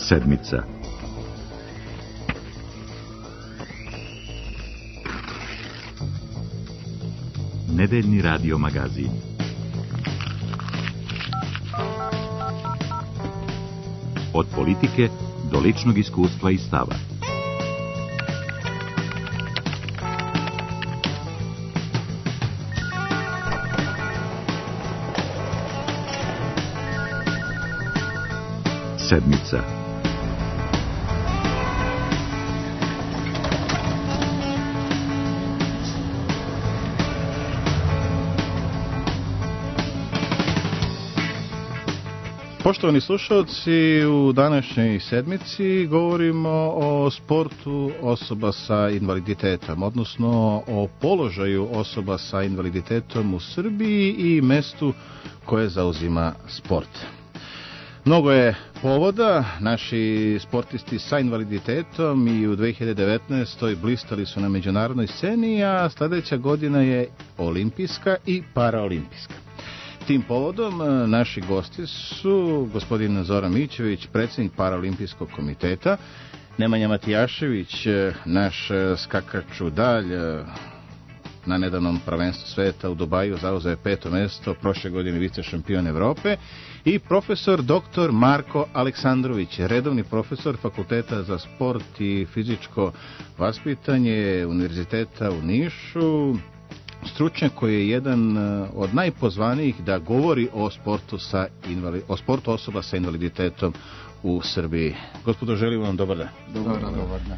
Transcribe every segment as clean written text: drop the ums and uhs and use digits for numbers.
Sedmica. Nedeljni radio magazin. Od politike do ličnog iskustva i stava. Sedmica. Poštovani slušalci, u današnjoj sedmici govorimo o sportu osoba sa invaliditetom, odnosno o položaju osoba sa invaliditetom u Srbiji i mestu koje zauzima sport. Mnogo je povoda, naši sportisti sa invaliditetom i u 2019. blistali su na međunarodnoj sceni, a sljedeća godina je olimpijska i paraolimpijska. Tim povodom naši gosti su gospodin Zoran Mićević, predsjednik Paraolimpijskog komiteta, Nemanja Matijašević, naš skakač u dalj, na nedavnom prvenstvu sveta u Dubaju zauzeo je 5. mjesto, prošle godine vice šampion Evrope, i profesor dr. Marko Aleksandrović, redovni profesor Fakulteta za sport i fizičko vaspitanje Univerziteta u Nišu, stručnjak koji je jedan od najpozvanijih da govori o sportu osoba sa invaliditetom u Srbiji. Gospodo, želim vam dobar dan. Dobar dan.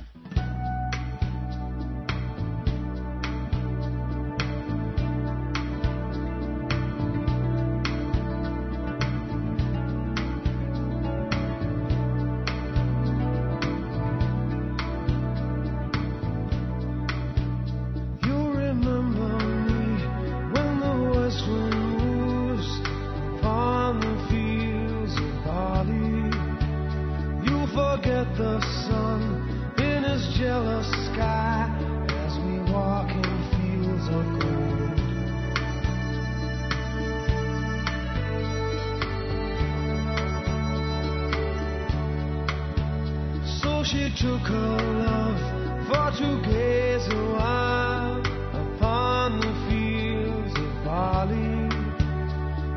She took her love for to gaze a while upon the fields of barley.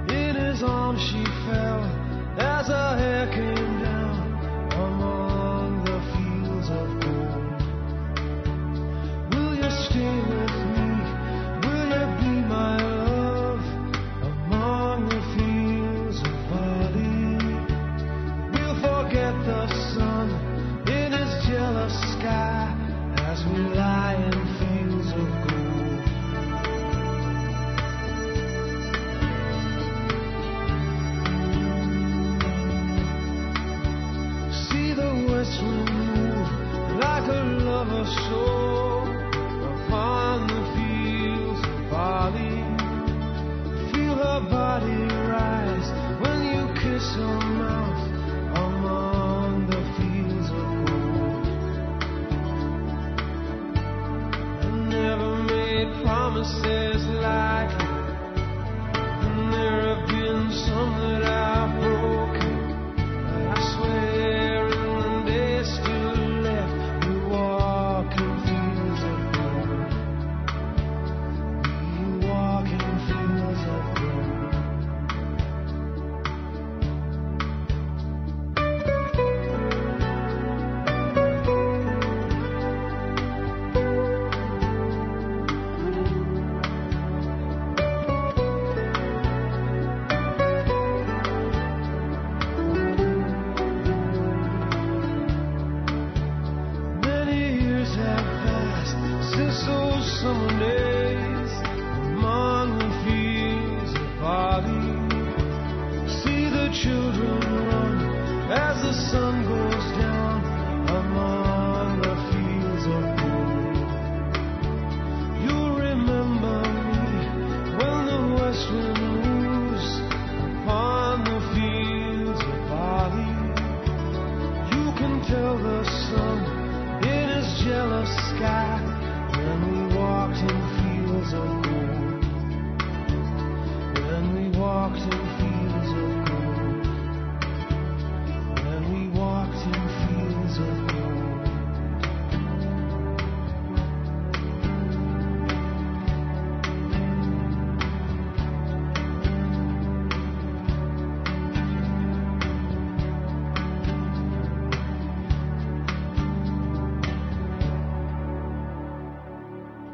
In his arms she fell as her hair came down among the fields of gold. Will you stay with me? Will you be my love among the fields of barley? We'll forget the sun in his jealous sky as we lie in fields of gold.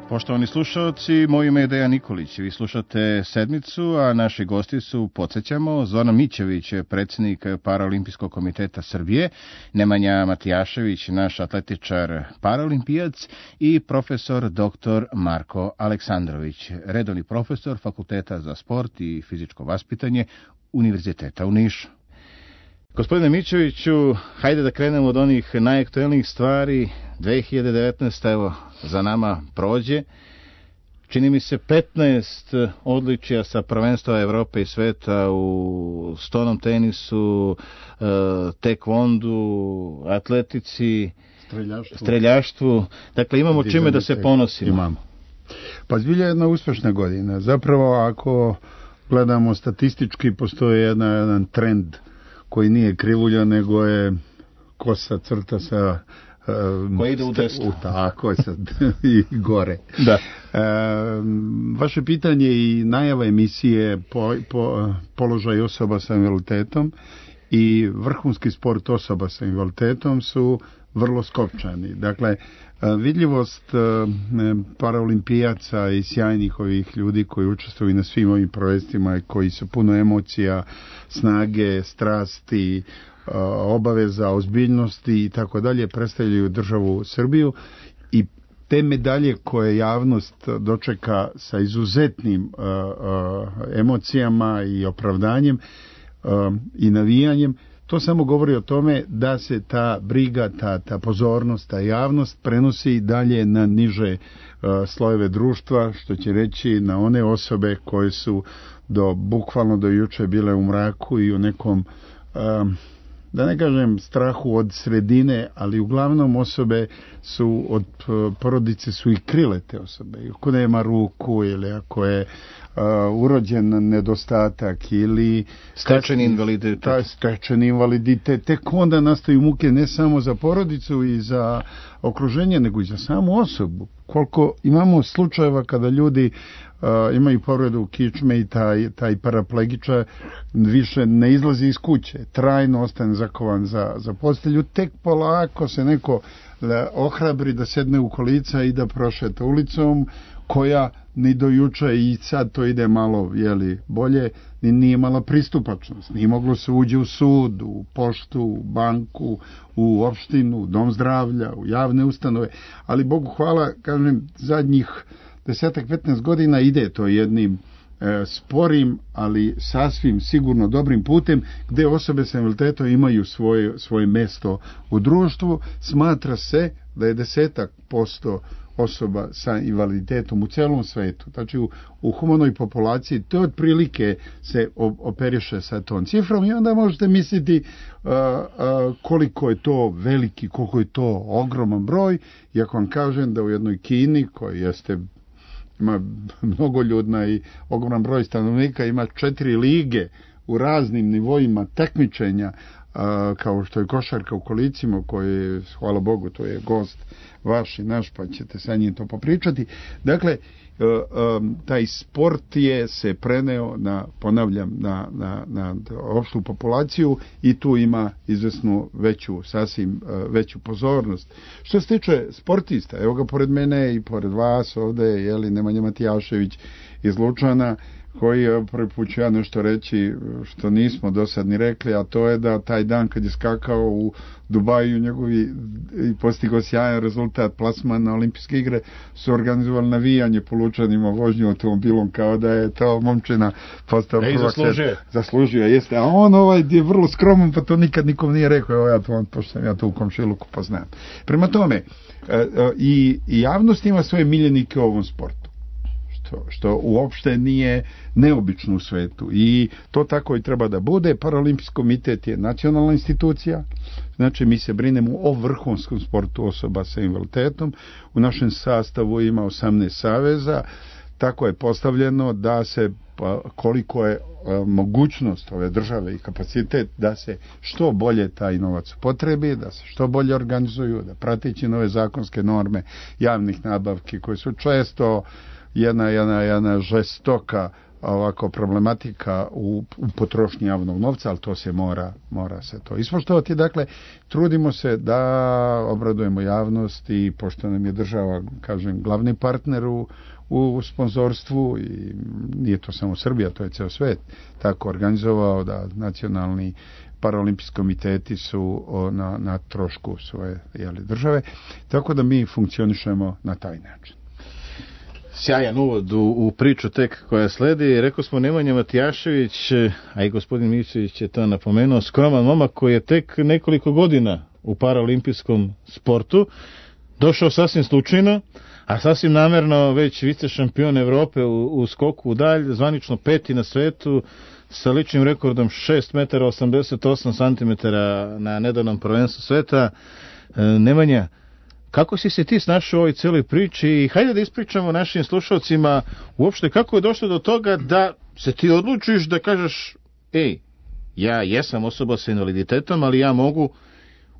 Poštovani slušalci, moje ime je Dejan Nikolić. Vi slušate Sedmicu, a naši gosti su, podsjećamo, Zoran Mićević, predsjednik Paraolimpijskog komiteta Srbije, Nemanja Matijašević, naš atletičar paraolimpijac i profesor dr. Marko Aleksandrović, redovni profesor Fakulteta za sport i fizičko vaspitanje Univerziteta u Nišu. Gospodine Mićeviću, hajde da krenemo od onih najaktuelnijih stvari. 2019. evo za nama prođe. Čini mi se 15 odličija sa prvenstva Evrope i sveta u stonom tenisu, tekvondu, atletici, streljaštvu. Dakle, imamo čime da se ponosimo. Imamo. Pa zbilja jedna uspešna godina. Zapravo, ako gledamo statistički, postoji jedan trend koji nije krivulja, nego je kosa crta sa koji ide u desno. Tako sad i gore. Da. Vaše pitanje i najava emisije položaj osoba sa invaliditetom i vrhunski sport osoba sa invaliditetom su vrlo skopčani. Dakle, vidljivost paraolimpijaca i sjajnih ovih ljudi koji učestvuju na svim ovim projektima i koji su puno emocija, snage, strasti, obaveza, ozbiljnosti i tako dalje, predstavljaju državu Srbiju i te medalje koje javnost dočeka sa izuzetnim emocijama i opravdanjem i navijanjem, to samo govori o tome da se ta briga, ta pozornost, ta javnost prenosi dalje na niže slojeve društva, što će reći na one osobe koje su bukvalno do juče bile u mraku i u nekom, da ne kažem strahu od sredine, ali uglavnom osobe su od porodice su i krile te osobe. Ako nema ruku ili ako je urođen nedostatak ili stečeni invaliditet. Stečeni invaliditet, tek onda nastaju muke ne samo za porodicu i za okruženje, nego i za samu osobu. Koliko imamo slučajeva kada ljudi imaju povredu kičme i taj paraplegičar više ne izlazi iz kuće, trajno ostane zakovan za postelju, tek polako se neko ohrabri da sedne u kolica i da prošeta ulicom, koja ni do juče i sad to ide malo bolje, nije imala pristupačnost, nije moglo se uđe u sud, u poštu, u banku, u opštinu, u dom zdravlja, u javne ustanove, ali Bogu hvala, kažem, zadnjih 10-15 godina ide to jednim sporim, ali sasvim sigurno dobrim putem, gde osobe sa invaliditetom imaju svoje mesto u društvu. Smatra se da je 10% osoba sa invaliditetom u celom svetu, znači u humanoj populaciji, to otprilike se operiše sa tom cifrom i onda možete misliti koliko je to veliki, koliko je to ogroman broj. I ako vam kažem da u jednoj Kini, koja ima mnogoljudna i ogroman broj stanovnika, ima 4 lige u raznim nivoima takmičenja, kao što je košarka u kolicima, koji, hvala Bogu, to je gost vaš i naš, pa ćete sa njim to popričati. Dakle, taj sport se preneo na opštu populaciju i tu ima izvesnu veću pozornost. Što se tiče sportista, evo ga pored mene i pored vas ovde, Nemanja Matijašević iz Lučana, koji prvi put ću ja nešto reći što nismo do sad ni rekli, a to je da taj dan kad je skakao u Dubaju njegovi i postigao sjajan rezultat, plasman na olimpijske igre, su organizovali navijanje po Lučanima, vožnju automobilom, kao da je to momčina postao prvak. Zaslužio jeste, a on je vrlo skroman, pa to nikad nikom nije rekao, pošto sam ja to u komšiluku poznam. Prema tome, i javnost ima svoje miljenike u ovom sportu, što uopšte nije neobično u svetu i to tako i treba da bude. Paraolimpijski komitet je nacionalna institucija, znači mi se brinemo o vrhunskom sportu osoba sa invaliditetom. U našem sastavu ima 18 saveza, tako je postavljeno da se, koliko je mogućnost ove države i kapacitet, da se što bolje taj novac upotrebi, da se što bolje organizuju, da prateći nove zakonske norme javnih nabavki koje su često jedna žestoka ovako problematika u potrošnji javnog novca, ali to se mora se to ispoštovati. Dakle, trudimo se da obradujemo javnost i pošto nam je država, kažem, glavni partner u sponzorstvu i nije to samo Srbija, to je ceo svet tako organizovao da nacionalni paraolimpijski komiteti su na trošku svoje države, tako da mi funkcionišemo na taj način. Sjajan uvod u priču tek koja sledi. Rekao smo Nemanja Matijašević, a i gospodin Mićević je to napomenuo, skroman momak koji je tek nekoliko godina u paraolimpijskom sportu, došao sasvim slučajno, a sasvim namerno već vice šampion Evrope u skoku u dalj, zvanično 5. na svetu, sa ličnim rekordom 6,88 m na nedavnom prvenstvu sveta. Nemanja, kako si se ti snašao u ovoj cijeloj priči i hajde da ispričamo našim slušalcima uopšte kako je došlo do toga da se ti odlučiš da kažeš ja jesam osoba sa invaliditetom, ali ja mogu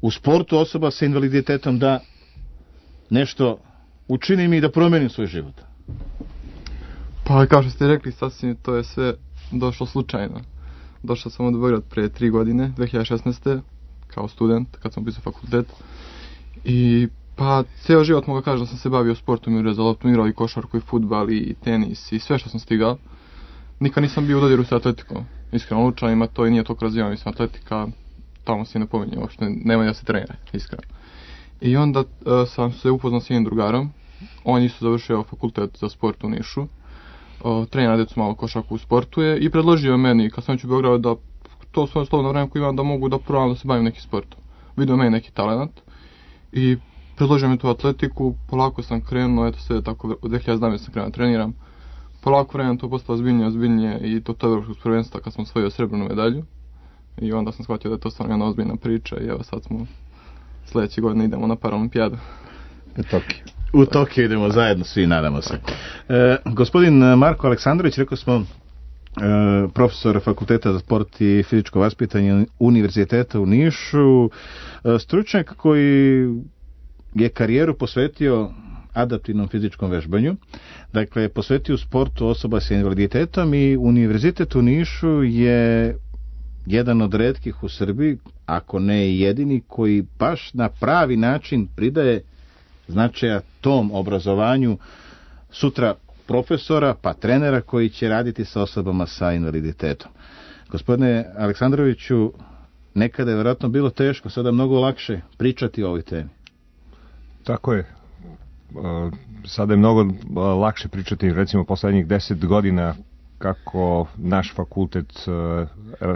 u sportu osoba sa invaliditetom da nešto učinim i da promenim svoj život. Pa kao što ste rekli, sasvim to je sve došlo slučajno. Došao sam u Beograd pre 3 godine, 2016. kao student, kad sam upisao fakultet. I pa ceo život mogu kažem da sam se bavio sportom, igrao za loptu, igrao i košarku i fudbal i tenis i sve što sam stigao. Nikad nisam bio u dodiru sa atletikom. Iskreno, Lučanima to i nije toliko razvijeno, mislim, atletika tamo se ne pominje uopšte, nema da se trenira, iskreno. I onda sam se upoznao s jednim drugarom, on isto završio fakultet za sport u Nišu, trenira decu malo košarku u sportuje i predložio meni, kad sam već u Beogradu, da to svoje slobodno vreme koje imam da mogu da probam da se bavim nekim sportom. Vidio meni neki talent i predložio mi tu atletiku, polako sam krenuo, eto sve tako, od 2017. sam krenuo treniram. Polako vremena to postalo ozbiljnije i to evropskog prvenstva kad sam osvojio srebrnu medalju. I onda sam shvatio da je to stvarno jedna ozbiljna priča i evo sad smo sljedeće godine idemo na Paralimpijadu. U Tokiju idemo zajedno, svi nadamo se. Gospodin Marko Aleksandrović, rekao smo, profesor Fakulteta za sport i fizičko vaspitanje Univerziteta u Nišu, stručnjak koji je karijeru posvetio adaptivnom fizičkom vežbanju, dakle posvetio sportu osoba sa invaliditetom i Univerzitet u Nišu je jedan od retkih u Srbiji, ako ne i jedini, koji baš na pravi način pridaje značaja tom obrazovanju sutra profesora pa trenera koji će raditi sa osobama sa invaliditetom. Gospodine Aleksandroviću, nekada je vjerojatno bilo teško, sada mnogo lakše pričati o ovoj temi. Tako je. Sada je mnogo lakše pričati, recimo poslednjih 10 godina kako naš fakultet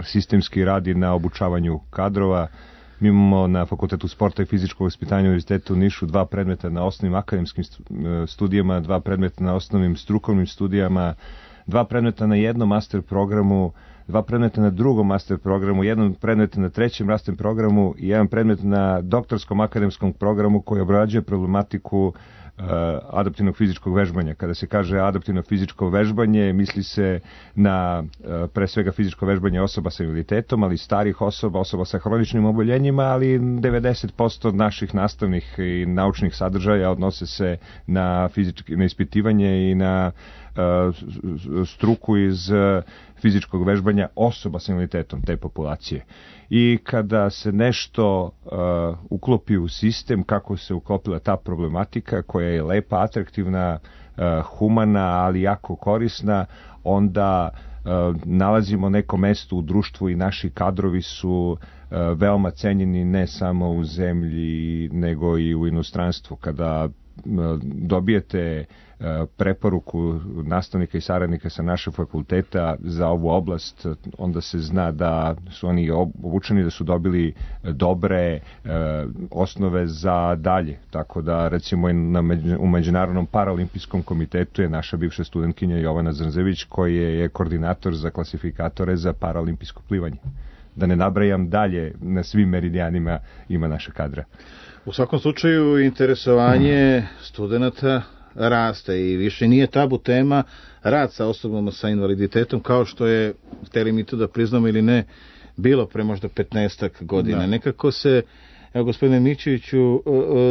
sistemski radi na obučavanju kadrova. Mi imamo na Fakultetu sporta i fizičkog vaspitanja Univerziteta u Nišu 2 predmeta na osnovnim akademskim studijama, 2 predmeta na osnovnim strukovnim studijama, 2 predmeta na jednom master programu, 2 predmeta na drugom master programu, 1 predmet na 3. master programu i 1 predmet na doktorskom akademskom programu koji obrađuje problematiku adaptivnog fizičkog vežbanja. Kada se kaže adaptivno fizičko vežbanje, misli se na pre svega fizičko vežbanje osoba sa invaliditetom, ali starih osoba sa hroničnim oboljenjima, ali 90% naših nastavnih i naučnih sadržaja odnose se na ispitivanje i na struku iz fizičkog vežbanja osoba sa invaliditetom te populacije. I kada se nešto uklopi u sistem, kako se uklopila ta problematika koja je lepa, atraktivna, humana, ali jako korisna, onda nalazimo neko mesto u društvu i naši kadrovi su veoma cenjeni ne samo u zemlji nego i u inostranstvu. Kada dobijete preporuku nastavnika i saradnika sa našeg fakulteta za ovu oblast, onda se zna da su oni obučeni, da su dobili dobre osnove za dalje. Tako da recimo u Međunarodnom paraolimpijskom komitetu je naša bivša studentkinja Jovana Zrnzević koji je koordinator za klasifikatore za paraolimpijsko plivanje. Da ne nabrajam dalje, na svim meridijanima ima naša kadra. U svakom slučaju interesovanje studenta raste i više nije tabu tema rad sa osobama sa invaliditetom kao što je, hteli mi to da priznamo ili ne, bilo pre možda 15 godina. Da. Nekako se, evo gospodine Mićeviću,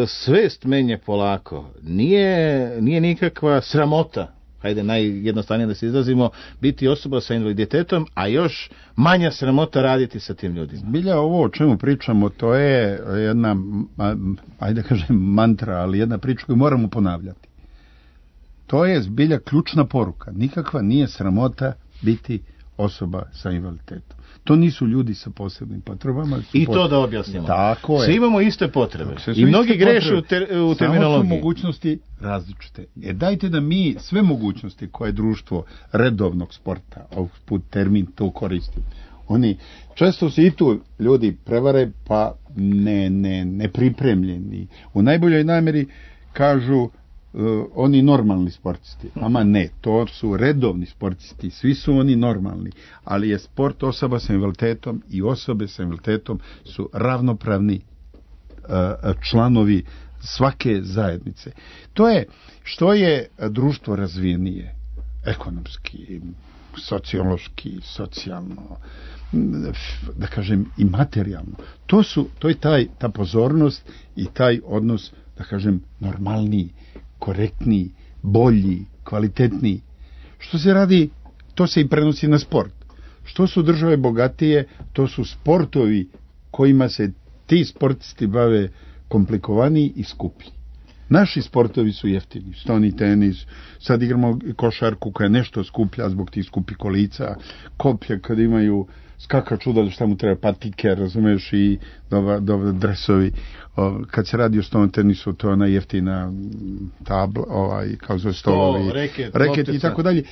svest menja polako. Nije nikakva sramota hajde najjednostavnije da se izrazimo, biti osoba sa invaliditetom, a još manja sramota raditi sa tim ljudima. Zbilja ovo o čemu pričamo, to je jedna, ajde da kažem mantra, ali jedna priča koju moramo ponavljati. To je zbilja ključna poruka. Nikakva nije sramota biti osoba sa invaliditetom. To nisu ljudi sa posebnim potrebama. I to da objasnimo. Tako je. Svi imamo iste potrebe. I mnogi greše u terminologiji. Samo su mogućnosti različite. Dajte da mi sve mogućnosti koje društvo redovnog sporta, ovog put termin to koristi. Oni često se i tu ljudi prevare, pa ne pripremljeni. U najboljoj namjeri kažu oni normalni sportisti. Ama ne, to su redovni sportisti, svi su oni normalni, ali je sport osoba sa invaliditetom i osobe sa invaliditetom su ravnopravni članovi svake zajednice. To je što je društvo razvijenije, ekonomski, sociološki, socijalno, da kažem i materijalno. To je ta pozornost i taj odnos, da kažem, normalniji, korektniji, bolji, kvalitetniji. Što se radi, to se i prenosi na sport. Što su države bogatije, to su sportovi kojima se ti sportisti bave komplikovaniji i skuplji. Naši sportovi su jeftini, stoni tenis, sad igramo košarku koja je nešto skuplja zbog tih skupih kolica, koplje kad imaju skaka čuda, šta mu treba, patike, razumeš, i dresovi. Kad se radi o stoni tenisu, to je ona jeftina tabla, kao zove stolovi, reket i tako dalje.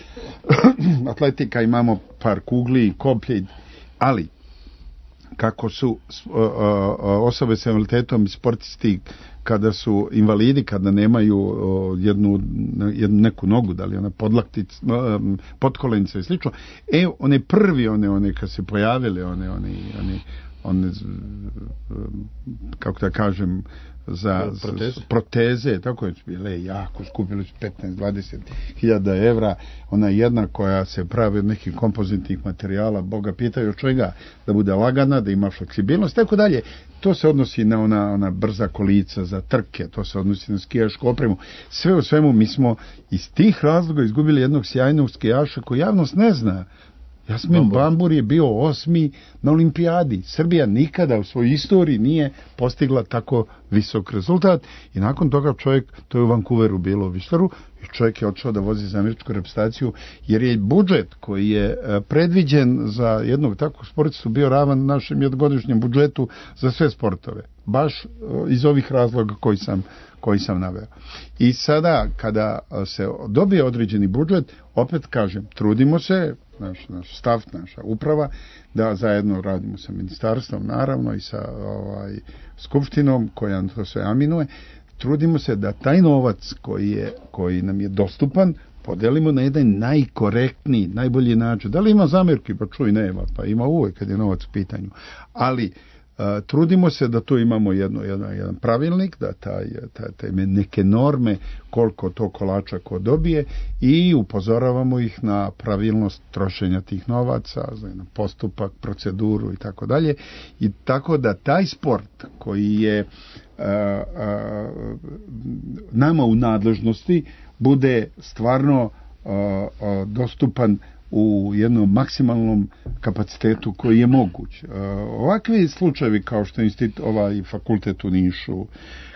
Atletika, imamo par kugli, koplje, ali kako su osobe s invaliditetom i sportisti kada su invalidi, kada nemaju jednu neku nogu, da li ona podlaktica, potkolenica i slično, one prvi, one kad se pojavile, one kako da kažem, za proteze, tako je bile jako, skupili su 15-20 hiljada evra, ona jedna koja se pravi od nekih kompozitnih materijala, Boga pitaju od čega, da bude lagana, da ima fleksibilnost, tako dalje. To se odnosi na ona brza kolica za trke, to se odnosi na skijašku opremu. Sve u svemu mi smo iz tih razloga izgubili jednog sjajnog skijaša koji javnost ne zna. Jasmin Bambur je bio 8. na olimpijadi. Srbija nikada u svojoj istoriji nije postigla tako visok rezultat i nakon toga čovjek, to je u Vancouveru bilo u Whistleru, i čovjek je odšao da vozi za američku reprezentaciju jer je budžet koji je predviđen za jednog takvog sportistu bio ravan našem jednogodišnjem budžetu za sve sportove. Baš iz ovih razloga koji sam naveo. I sada kada se dobije određeni budžet, opet kažem, trudimo se, naš stav, naša uprava, da zajedno radimo sa ministarstvom, naravno, i sa skupštinom koja to sve aminuje, trudimo se da taj novac koji nam je dostupan podelimo na jedan najkorektniji, najbolji način. Da li ima zamjerki? Pa čuj, nema, pa ima uvijek kad je novac u pitanju. Ali trudimo se da tu imamo jedan pravilnik, da taj neke norme koliko to kolača ko dobije i upozoravamo ih na pravilnost trošenja tih novaca, na postupak, proceduru i tako dalje. I tako da taj sport koji je nama u nadležnosti bude stvarno dostupan u jednom maksimalnom kapacitetu koji je moguć. Ovakvi slučajevi kao što je fakultet u Nišu,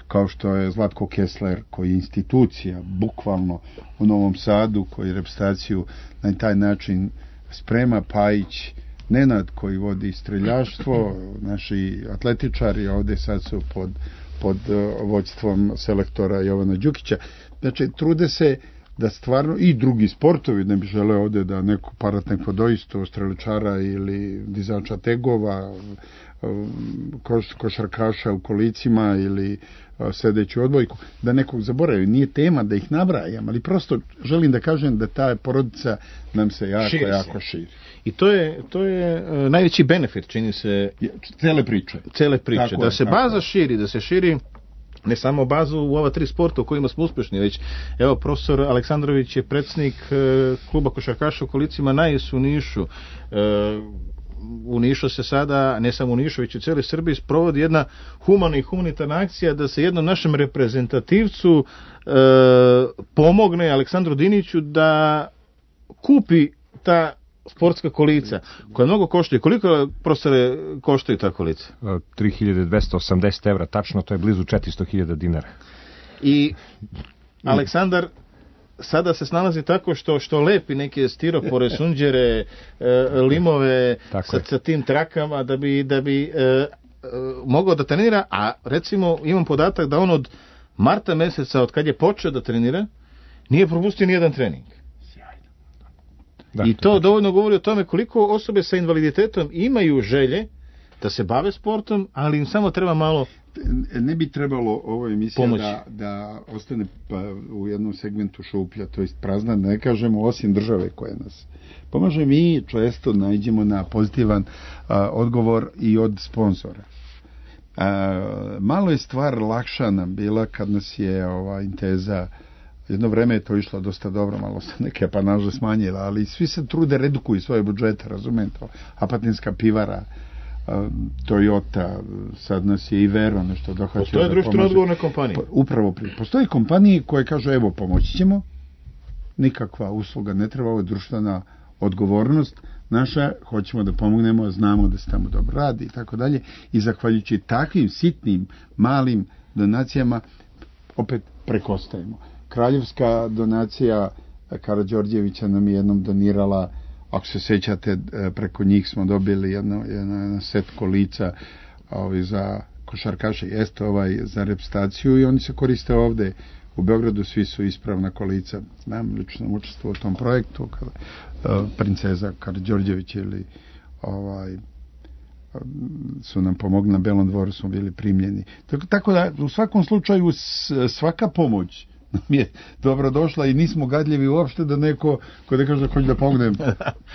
kao što je Zlatko Kessler, koji je institucija bukvalno u Novom Sadu, koji reprezentaciju na taj način sprema, Pajić, Nenad koji vodi streljaštvo, naši atletičari ovdje sad su pod vođstvom selektora Jovana Đukića. Znači, trude se da stvarno i drugi sportovi, ne bi želeo ovdje da neko paratnek vodoisto, streličara ili dizača tegova, košarkaša u kolicima ili sedeći u odbojku, da nekog zaboravim. Nije tema da ih nabrajam, ali prosto želim da kažem da ta porodica nam se jako širi. I to je najveći benefit, čini se, cele priče. Da se baza širi, da se širi ne samo bazu u ova 3 sporta u kojima smo uspješni, već evo profesor Aleksandrović je predsjednik kluba košarkaša u kolicima Najs u Nišu. u Nišu se sada, ne samo u Nišu, već u cijeloj Srbiji sprovodi jedna humana i humanitarna akcija da se jednom našem reprezentativcu pomogne Aleksandru Diniću da kupi ta sportska kolica, koja mnogo koštaju. Koliko, profesore, koštaju ta kolica? 3280 evra, tačno, to je blizu 400.000 dinara. I Aleksandar sada se snalazi tako što lepi neke stiropore, sunđere, limove sa tim trakama da bi mogao da trenira, a recimo imam podatak da on od marta meseca, od kad je počeo da trenira, nije propustio nijedan trening. I to dovoljno govori o tome koliko osobe sa invaliditetom imaju želje da se bave sportom, ali im samo treba malo ne bi trebalo ovo emisija da ostane u jednom segmentu šuplja, to jest prazna, ne kažemo, osim države koje nas pomaže. Mi često nađemo na pozitivan odgovor i od sponzora. Malo je stvar lakša nam bila kad nas je Inteza, jedno vreme je to išlo dosta dobro, malo se neke apanaže smanjila, ali svi se trude, redukuju svoje budžete, razumete, Apatinska pivara, Toyota, sad nas je i Vero nešto dohvaćaju. Postoje društveno odgovorne kompanije. Upravo postoje kompanije koje kažu evo pomoći ćemo, nikakva usluga ne treba, ovo je društvena odgovornost naša, hoćemo da pomognemo, znamo da se tamo dobro radi i tako dalje, i zahvaljujući takvim sitnim, malim donacijama opet prekostajemo. Kraljevska donacija Karađorđevića nam je jednom donirala, ako se sećate, preko njih smo dobili jedan set kolica za košarkaše, jeste za reprezentaciju, i oni se koriste ovde u Beogradu, svi su ispravna kolica. Znam, lično učestvovao u tom projektu, kada princeza Karađorđević ili su nam pomogli na Belom dvoru, smo bili primljeni. Tako da, u svakom slučaju, svaka pomoć mi je dobro došla i nismo gadljivi uopšte da neko ko da kaže hoće da pomognem,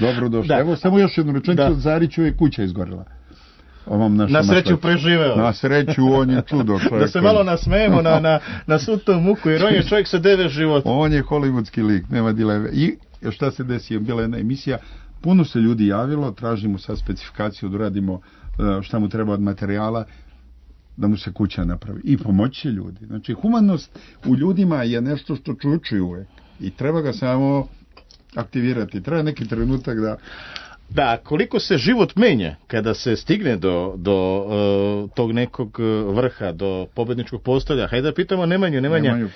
dobro došla. Evo samo još jednu rečenicu, Zariću je kuća izgorela. Na sreću preživeo. Na sreću, on je čudo čovjek. Da se malo nasmejemo na svu tu muku, jer on je čovjek sa 9 života. On je hollywoodski lik, nema dileme. I šta se desi, je bila jedna emisija, puno se ljudi javilo, tražimo sad specifikaciju da uradimo šta mu treba od materijala, da mu se kuća napravi. I pomoći će ljudi. Znači, humanost u ljudima je nešto što čučuju uvek. I treba ga samo aktivirati. Treba neki trenutak da, koliko se život menja kada se stigne do tog nekog vrha, do pobedničkog postolja. Hajde da pitamo Nemanja.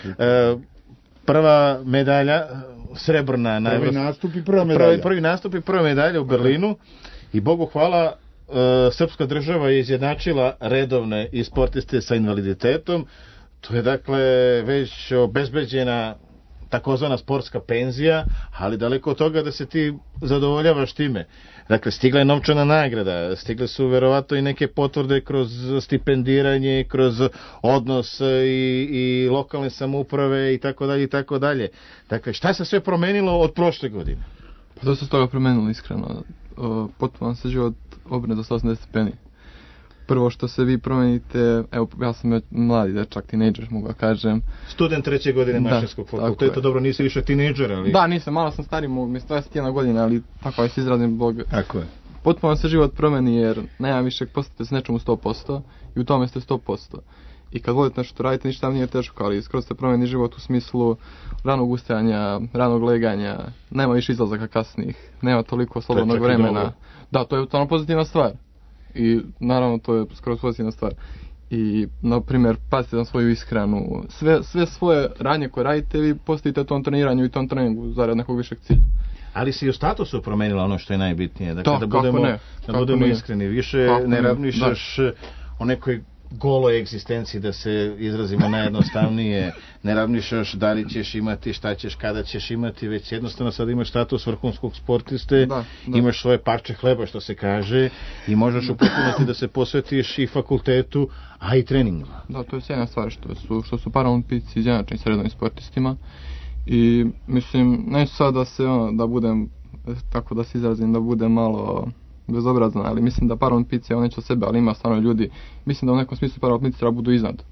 Prva medalja, srebrna. Prvi nastup i prva medalja u Berlinu. I Bogu hvala, srpska država je izjednačila redovne i sportiste sa invaliditetom. To je dakle već obezbeđena takozvana sportska penzija, ali daleko od toga da se ti zadovoljavaš time. Dakle, stigla je novčana nagrada, stigle su verovatno i neke potvrde kroz stipendiranje, kroz odnos i lokalne samouprave i tako dalje i tako dalje. Dakle, šta se sve promenilo od prošle godine? Pa dosta se toga promenilo, iskreno. Potpuno se život obrne do 180 stepeni. Prvo što se vi promenite, evo, ja sam mladi dečak, tinejdžer, mogu da kažem. Student 3. godine Mašinskog fakulteta, dobro, nisi više tinejdžer, ali... Da, nisam, malo sam stariji, mislim 21 godina, ali tako je se izrazim blog. Tako je. Potpuno se život promeni, jer nema više postajete s nečemu 100% i u tome ste 100%. I kad volite nešto radite, ništa vam nije teško, ali skroz se promeni život u smislu ranog ustajanja, ranog leganja, nema više izlazaka kasnih, nema toliko slobodnog vremena. Da, to je totalno pozitivna stvar. I naravno to je skoro pozitivna stvar. I na primjer pazite na svoju ishranu, sve svoje radnje koje radite vi postavite tom treniranju i tom treningu zarad nekog višeg cilja. Ali se i u statusu promenila ono što je najbitnije, dakle da budemo iskreni, više ne razmišljaš o nekoj goloj egzistenciji, da se izrazimo najjednostavnije, ne razmišljaš da li ćeš imati, šta ćeš, kada ćeš imati, već jednostavno sad imaš status vrhunskog sportiste, imaš svoje parče hleba, što se kaže, i možeš upotpuniti da se posvetiš i fakultetu, a i treningima. Da, to je sjajna stvar što su paraolimpijci izjednačeni s redovnim sportistima, i mislim, neću sad da budem, tako da se izrazim, da budem malo bezobrazan, ali mislim da paraolimpijci, evo neće o sebe, ali ima stvarno ljudi, mislim da u nekom smislu paraolimpijci treba budu iznad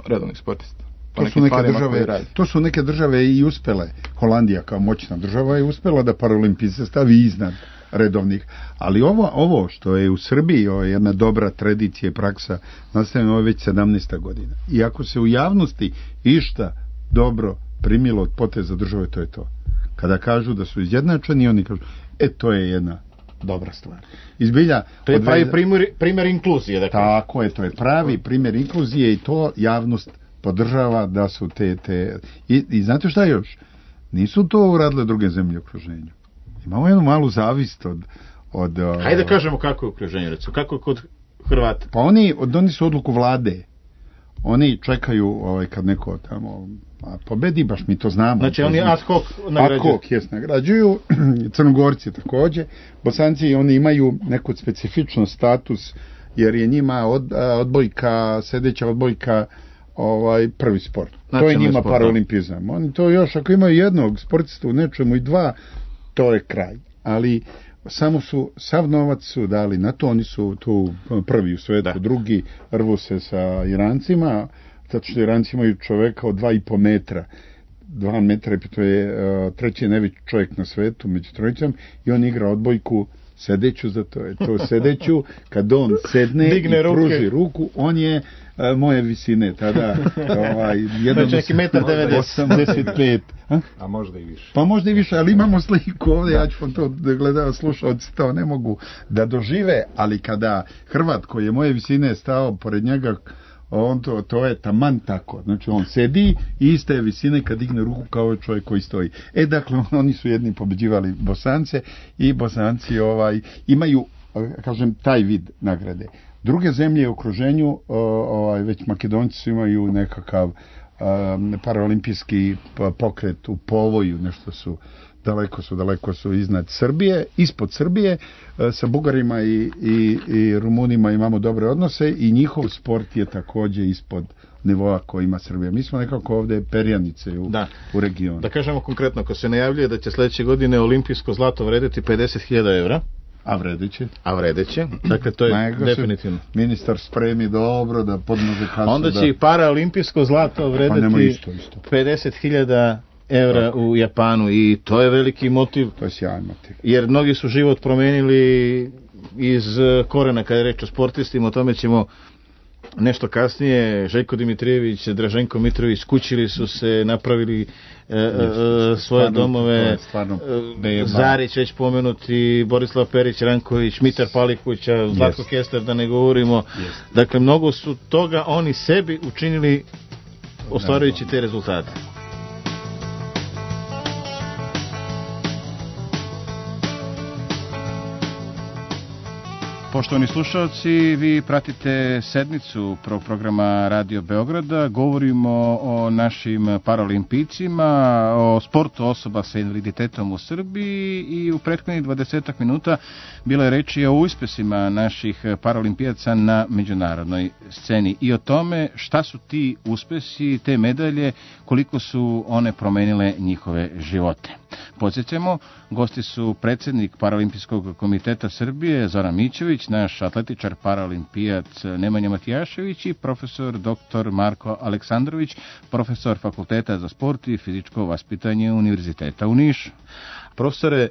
redovnih sportista. To su neke države i uspele. Holandija kao moćna država je uspela da paraolimpijce stavi iznad redovnih. Ali ovo što je u Srbiji jedna dobra tradicija i praksa, nastavljeno ovo je već 17. godina. I ako se u javnosti išta dobro primilo od poteza države, to je to. Kada kažu da su izjednačeni, oni kažu, to je jedna dobra stvar. Izbilja, to je pravi primjer inkluzije. Dakle. Tako je, to je pravi primjer inkluzije i to javnost podržava da su te... I znate šta još? Nisu to uradile druge zemlje u okruženju. Imamo jednu malu zavist od hajde da kažemo kako je u okruženju, recimo, kako je kod Hrvata. Pa oni su odluku vlade. Oni čekaju kad neko tamo pobedi, baš mi to znamo. Znači oni ad hoc nagrađuju. Ad hoc, nagrađuju. Crnogorci također. Bosanci, oni imaju neku specifičan status, jer je njima odbojka, sedeća odbojka prvi sport. To je njima paraolimpizam. Oni to još, ako imaju jednog sportista u nečemu i dva, to je kraj. Ali sav novac su dali na to, oni su tu prvi u svetu, drugi rvu se sa Irancima, zato što Iranci imaju čoveka od 2,5 metra. 2 metra, to je treći najveći čovjek na svetu među trojicom, i on igra odbojku sedeću, zato je to sedeću, kad on sedne digne i pruži ruku, on je moje visine, tada znači 1,85 m. A možda i više. Pa možda i više, ali imamo sliku ovdje, ja ću vam to gledao, slušalci to ne mogu da dožive, ali kada Hrvat koji je moje visine stao pored njega, on to je taman tako, znači on sedi i iste je visine kad digne ruku kao čovjek koji stoji. Dakle, oni su jedni pobeđivali Bosance i Bosanci imaju, kažem, taj vid nagrade. Druge zemlje u okruženju, već Makedonci su imaju nekakav paraolimpijski pokret u povoju, nešto su daleko su iznad Srbije, ispod Srbije. Sa Bugarima i Rumunima imamo dobre odnose i njihov sport je također ispod nivoa koji ima Srbija. Mi smo nekako ovdje perjanice u regionu. Da kažemo konkretno, ako se najavljuje da će sljedeće godine olimpijsko zlato vrediti 50.000 evra, a vredeće. Dakle, to je definitivno. Ministar spremi dobro da podnože kasu. Onda će i paraolimpijsko zlato vrediti 50.000 evra u Japanu i to je veliki motiv. To je sjajan motiv. Jer mnogi su život promenili iz korena kada je reč o sportistima, o tome ćemo nešto kasnije. Željko Dimitrijević, Draženko Mitrović skućili su se, napravili svoje domove. Zarić već pomenuti, Borislav Perić, Ranković, Mitar Palikuća, Zlatko Kester, da ne govorimo. Dakle, mnogo su toga oni sebi učinili ostvarujući te rezultate. Poštovani slušalci, vi pratite sedmicu programa Radio Beograda. Govorimo o našim paralimpijcima, o sportu osoba sa invaliditetom u Srbiji i u prethodnih 20 minuta bilo je reči o uspjesima naših paralimpijaca na međunarodnoj sceni i o tome šta su ti uspjesi, te medalje, koliko su one promenile njihove živote. Podsjećamo, gosti su predsjednik Paralimpijskog komiteta Srbije Zoran Mićević, naš atletičar paralimpijac Nemanja Matijašević i profesor dr. Marko Aleksandrović, profesor Fakulteta za sport i fizičko vaspitanje Univerziteta u Nišu. Profesore,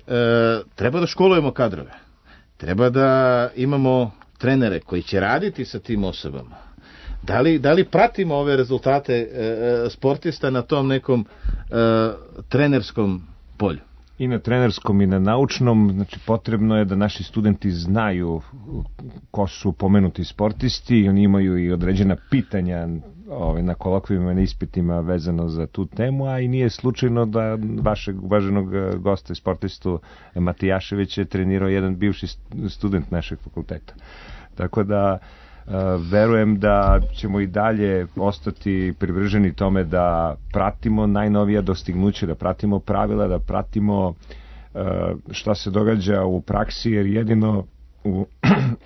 treba da školujemo kadrove, treba da imamo trenere koji će raditi sa tim osobama. Da li pratimo ove rezultate sportista na tom nekom trenerskom polju? I na trenerskom i na naučnom, znači potrebno je da naši studenti znaju ko su pomenuti sportisti, oni imaju i određena pitanja na kolokvijima i na ispitima vezano za tu temu, a i nije slučajno da vašeg uvaženog gosta i sportistu Matijašević je trenirao jedan bivši student našeg fakulteta. Tako da verujem da ćemo i dalje ostati privrženi tome da pratimo najnovija dostignuća, da pratimo pravila, da pratimo šta se događa u praksi, jer jedino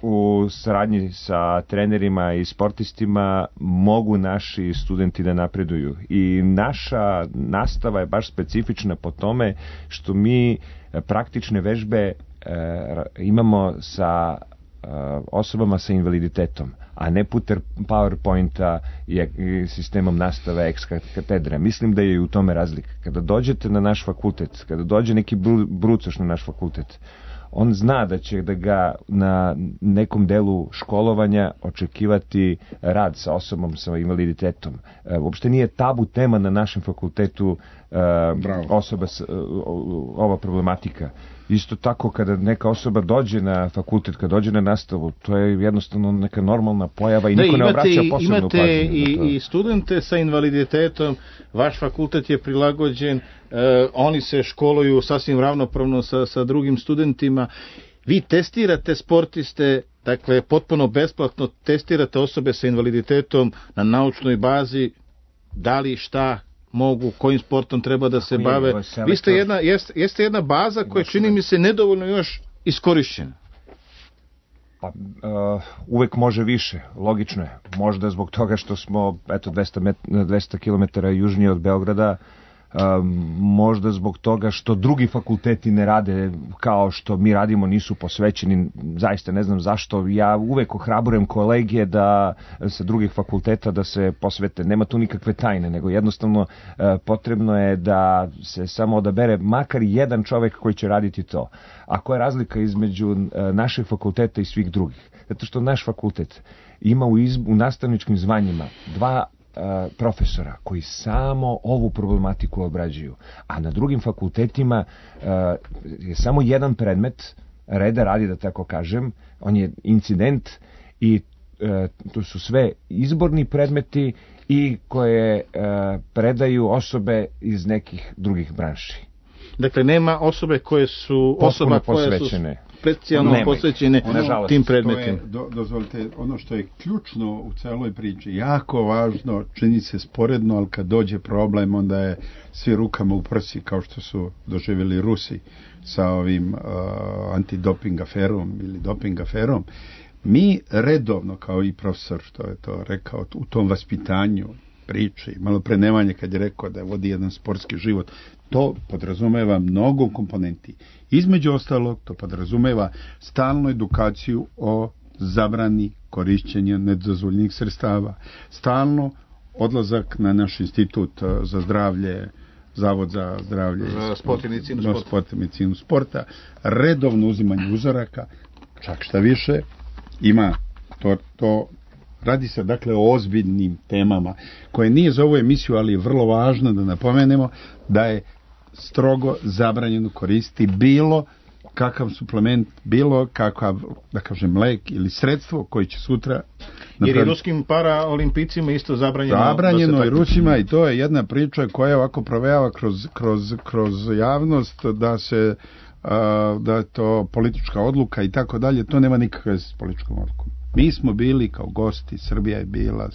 u saradnji sa trenerima i sportistima mogu naši studenti da napreduju. I naša nastava je baš specifična po tome što mi praktične vežbe imamo sa osobama sa invaliditetom, a ne putem PowerPointa i sistemom nastave ex katedra. Mislim da je i u tome razlika. Kada dođete na naš fakultet, kada dođe neki brucoš na naš fakultet, on zna da će da ga na nekom delu školovanja očekivati rad sa osobom sa invaliditetom. Uopšte nije tabu tema na našem fakultetu ova problematika. Isto tako kada neka osoba dođe na fakultet, kada dođe na nastavu, to je jednostavno neka normalna pojava i niko ne obraća posebnu pažnju. Imate i studente sa invaliditetom, vaš fakultet je prilagođen, oni se školuju sasvim ravnopravno sa drugim studentima. Vi testirate sportiste, dakle potpuno besplatno testirate osobe sa invaliditetom na naučnoj bazi, da li šta mogu, kojim sportom treba da se bave. Vi ste jeste jedna baza koja čini mi se nedovoljno još iskorišćena. Pa, uvek može više, logično je. Možda zbog toga što smo 200 km južnije od Beograda, možda zbog toga što drugi fakulteti ne rade kao što mi radimo, nisu posvećeni, zaista ne znam zašto. Ja uvek ohrabrujem kolege da sa drugih fakulteta da se posvete, nema tu nikakve tajne, nego jednostavno potrebno je da se samo odabere makar jedan čovek koji će raditi to. A koja je razlika između našeg fakulteta i svih drugih? Zato što naš fakultet ima u nastavničkim zvanjima 2 profesora koji samo ovu problematiku obrađuju, a na drugim fakultetima je samo jedan predmet reda radi, da tako kažem, on je incident i to su sve izborni predmeti i koje predaju osobe iz nekih drugih branši. Dakle, nema osobe koje su posvećene. Specijalno posvećene tim predmetima. Dozvolite, ono što je ključno u celoj priči, jako važno, čini se sporedno, ali kad dođe problem, onda je svi rukama u prsi, kao što su doživjeli Rusi sa ovim antidoping aferom ili doping aferom. Mi redovno, kao i profesor što je to rekao, u tom vaspitanju priči, malo pre Nemanje kad je rekao da vodi jedan sportski život, to podrazumeva mnogo komponenti. Između ostalog, to podrazumeva stalnu edukaciju o zabrani korišćenja nedozvoljenih sredstava, stalno odlazak na naš institut za zdravlje, Zavod za zdravlje sport i medicinu sporta, redovno uzimanje uzoraka, čak šta više, ima to radi se dakle o ozbiljnim temama koje nije za ovu emisiju, ali je vrlo važno da napomenemo da je strogo zabranjeno koristiti bilo kakav suplement, bilo kakav, da kažem, lek ili sredstvo koji će sutra jer i ruskim paraolimpijcima isto zabranjeno i Rusima, i to je jedna priča koja ovako provejava kroz javnost da je to politička odluka i tako dalje. To nema nikakve s političkom odlukom. Mi smo bili kao gosti, Srbija je bila,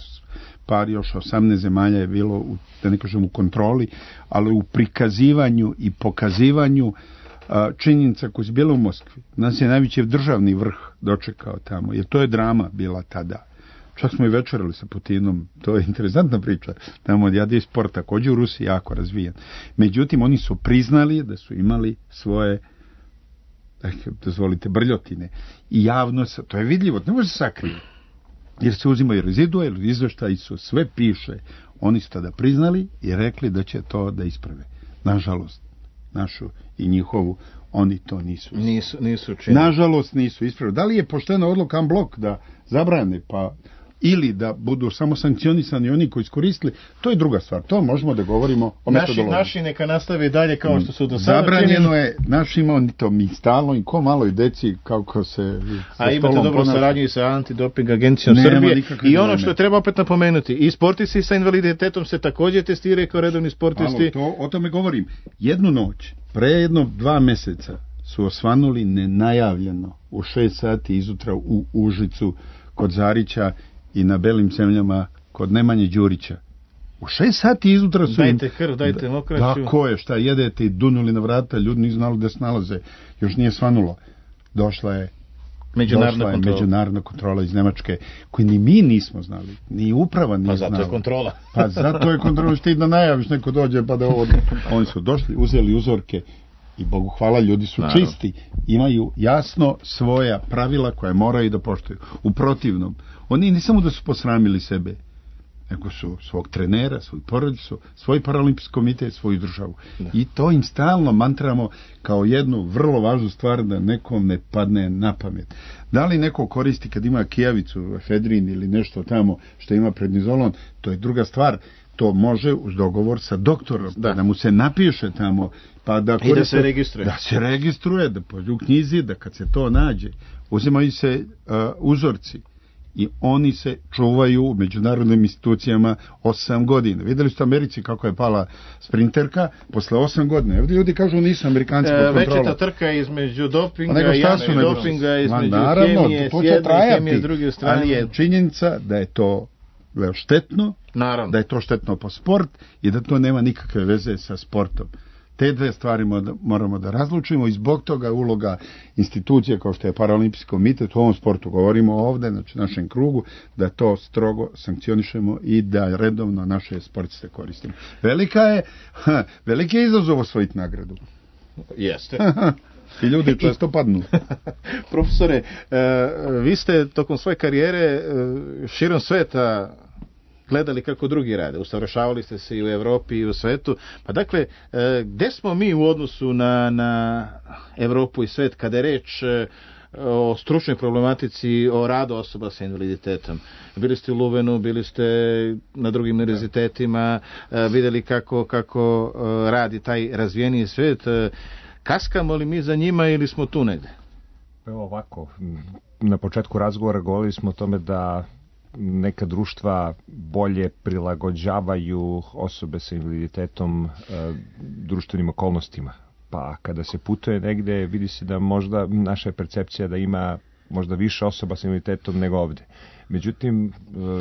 par još 18 zemalja je bilo, da ne kažem u kontroli, ali u prikazivanju i pokazivanju činjenica koje su bile u Moskvi. Nas je najveći državni vrh dočekao tamo, jer to je drama bila tada. Čak smo i večerali sa Putinom, to je interesantna priča. Tamo je sport također u Rusiji jako razvijen. Međutim, oni su priznali da su imali svoje, dozvolite, brljotine. I javno, to je vidljivo, ne može se sakriti. Jer se uzimaju rezidue, ili izveštaji su, sve piše. Oni su tada priznali i rekli da će to da isprave. Nažalost, našu i njihovu, oni to nisu činili. Nažalost nisu ispravili. Da li je poštena odluka blok da zabrane, pa ili da budu samo sankcionisani oni koji iskoristili, to je druga stvar. To možemo da govorimo o metodologiji. Naši neka nastave dalje kao što su do sada. Zabranjeno je našima, oni to mi stalno i ko maloj deci kako se... A imate dobro saradnju i sa antidoping agencijom Srbije. I ono što treba opet napomenuti, i sportisti sa invaliditetom se također testiraju kao redovni sportisti. O tome govorim. Jednu noć, pre 2 meseca su osvanuli nenajavljeno u 6 sati izutra u Užicu kod Zarića i na Belim zemljama kod Nemanje Đurića. U 6 sati izutra su... Dajte krv, dajte mokraću. Tako je, šta jedete i dunuli na vrata, ljudi nisu znali da se nalaze. Još nije svanulo. Došla je međunarodna kontrola iz Nemačke, koju ni mi nismo znali, ni uprava nije znala. Pa zato je kontrola. Pa zato je kontrola, što ti da najaviš, neko dođe pa da ovo... Oni su došli, uzeli uzorke i Bogu hvala, ljudi su čisti. Imaju jasno svoja pravila koje moraju da poštuju. U protivnom, oni ne samo da su posramili sebe, nego su svog trenera, svoju porodicu, svoj paraolimpijski komitet, svoju državu. I to im stalno mantramo kao jednu vrlo važnu stvar da nekom ne padne na pamet. Da li neko koristi kad ima kijavicu, efedrin ili nešto tamo što ima prednizolon, to je druga stvar. To može uz dogovor sa doktorom, da mu se napiše tamo, pa da koriste, i da se registruje. Da se registruje, da pođe u knjizi, da kad se to nađe, uzimaju se uzorci i oni se čuvaju u međunarodnim institucijama 8 godina. Vidjeli ste u Americi kako je pala sprinterka posle 8 godina. Ovdje ljudi kažu nisu Amerikanci pod kontrolom. Večita trka između dopinga i antidopinga, između hemije s jedne i hemije s druge strane. Ali je činjenica da je to štetno, naravno, da je to štetno po sport i da to nema nikakve veze sa sportom. Te dve stvari moramo da razlučimo i zbog toga uloga institucije kao što je Paraolimpijski komitet u ovom sportu, govorimo ovdje, znači našem krugu, da to strogo sankcionišemo i da redovno naše sportiste koristimo. Veliki je izazov osvojiti nagradu. Jeste. I ljudi često padnu. Profesore, vi ste tokom svoje karijere širom sveta gledali kako drugi rade, usavršavali ste se i u Evropi i u svetu, pa dakle, gde smo mi u odnosu na Evropu i svet kada je reč o stručnoj problematici, o radu osoba sa invaliditetom? Bili ste u Luvenu, bili ste na drugim univerzitetima, vidjeli kako radi taj razvijeniji svet. Kaskamo li mi za njima ili smo tu negde? Evo ovako, na početku razgovora govorili smo o tome da neka društva bolje prilagođavaju osobe sa invaliditetom društvenim okolnostima. Pa kada se putuje negde, vidi se da možda naša je percepcija da ima možda više osoba sa invaliditetom nego ovde. Međutim,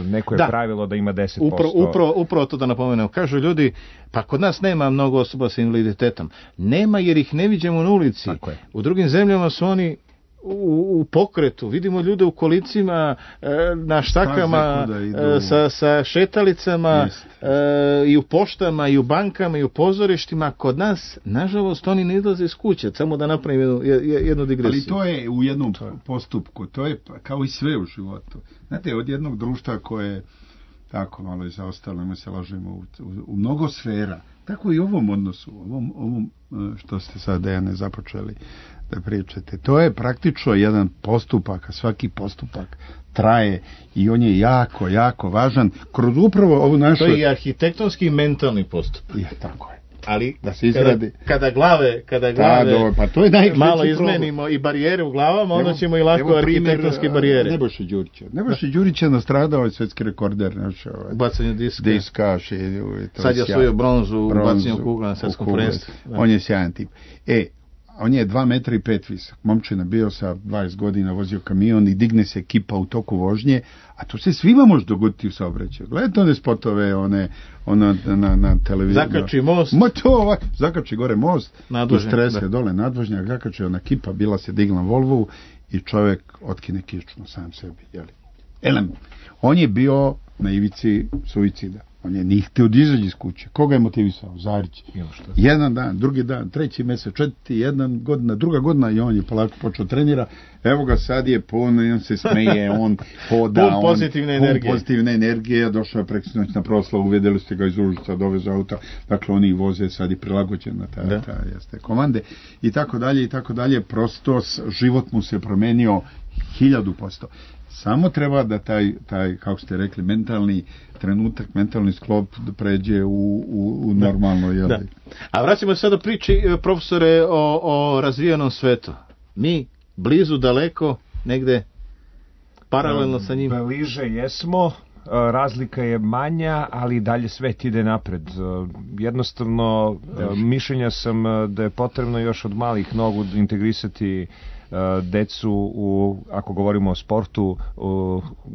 neko je pravilo da ima 10%. Upravo to da napomenem. Kažu ljudi, pa kod nas nema mnogo osoba sa invaliditetom. Nema jer ih ne viđemo na ulici. U drugim zemljama su oni u pokretu. Vidimo ljude u kolicima, na štakama, sa šetalicama, i u poštama, i u bankama, i u pozorištima. Kod nas, nažalost, oni ne izlaze iz kuće. Samo da napravim jednu digresiju. Ali to je u jednom postupku. To je kao i sve u životu. Znate, od jednog društva koje tako malo je zaostalo, mi se lažemo u mnogo sfera. Tako i u ovom odnosu, ovom što ste sad, Dejane, započeli da pričate. To je praktično jedan postupak, a svaki postupak traje i on je jako, jako važan. Kroz upravo ovu našu... To je i arhitektonski i mentalni postupak. Je, tako je. Ali da se izgradi. Kada glave pa to je malo izmenimo i barijere u glavama, onda ćemo i lako arhitektonske barijere. Nebojša Đurić je nastradao svetski rekorder. Bacanju diska. Sad je osvojio bronzu u bacanju kugla na svetskom prvenstvu. On je sjajan tip. On je 2 metra i 5 visok. Momčina bio sa 20 godina, vozio kamion i digne se ekipa u toku vožnje, a to se svima može dogoditi u saobraćaju. Gledajte one spotove, na televiziji. Zakači most. Zakači gore most, strese dole nadvožnjak, zakači ona kipa, bila se digla Volvovu i čovjek otkine kičmu sam sebi. On je bio na ivici suicida. On je nije htio da izađe iz kuće. Koga je motivisao? Zarić. Jedan dan, drugi dan, treći mjesec, četvrti, jedna godina, druga godina i on je polako počeo trenira. Evo ga sad je pun, on se smeje, on hoda. Pun pozitivne energije. Došao je preksinoć na proslavu, uvedeli ste ga iz Užica, doveze auta. Dakle, oni voze sad i prilagođena ta komande. I tako dalje. Prosto život mu se promenio 1000%. Samo treba da taj, kako ste rekli, mentalni trenutak, mentalni sklop da pređe u normalno. Da. A vraćamo se sada priči, profesore, o razvijenom svetu. Mi blizu, daleko, negde paralelno sa njim. Bliže jesmo, razlika je manja, ali dalje svet ide napred. Jednostavno, mišljenja sam da je potrebno još od malih nogu integrisati decu ako govorimo o sportu,